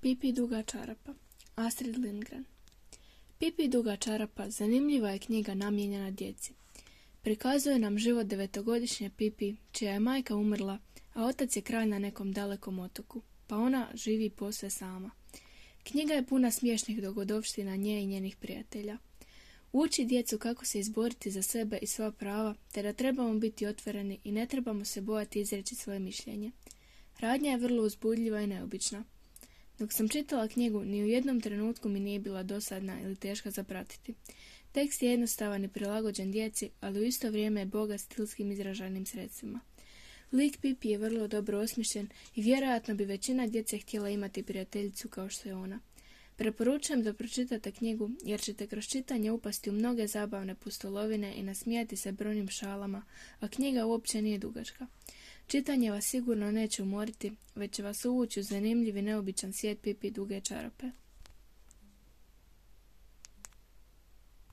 Pipi duga čarapa. Astrid Lindgren. Pipi duga čarapa zanimljiva je knjiga namijenjena djeci. Prikazuje nam život 9-godišnje Pipi, čija je majka umrla, a otac je kralj na nekom dalekom otoku, pa ona živi posve sama. Knjiga je puna smiješnih dogodovština nje i njenih prijatelja. Uči djecu kako se izboriti za sebe i svoja prava, te da trebamo biti otvoreni i ne trebamo se bojati izreći svoje mišljenje. Radnja je vrlo uzbudljiva i neobična. Dok sam čitala knjigu, ni u jednom trenutku mi nije bila dosadna ili teška za pratiti. Tekst je jednostavan i prilagođen djeci, ali u isto vrijeme je bogat stilskim izražajnim sredstvima. Lik Pipi je vrlo dobro osmišljen i vjerojatno bi većina djece htjela imati prijateljicu kao što je ona. Preporučujem da pročitate knjigu jer ćete kroz čitanje upasti u mnoge zabavne pustolovine i nasmijati se brojnim šalama, a knjiga uopće nije dugačka. Čitanje vas sigurno neće umoriti, već će vas uvući u zanimljiv i neobičan svijet Pipi duge čarape.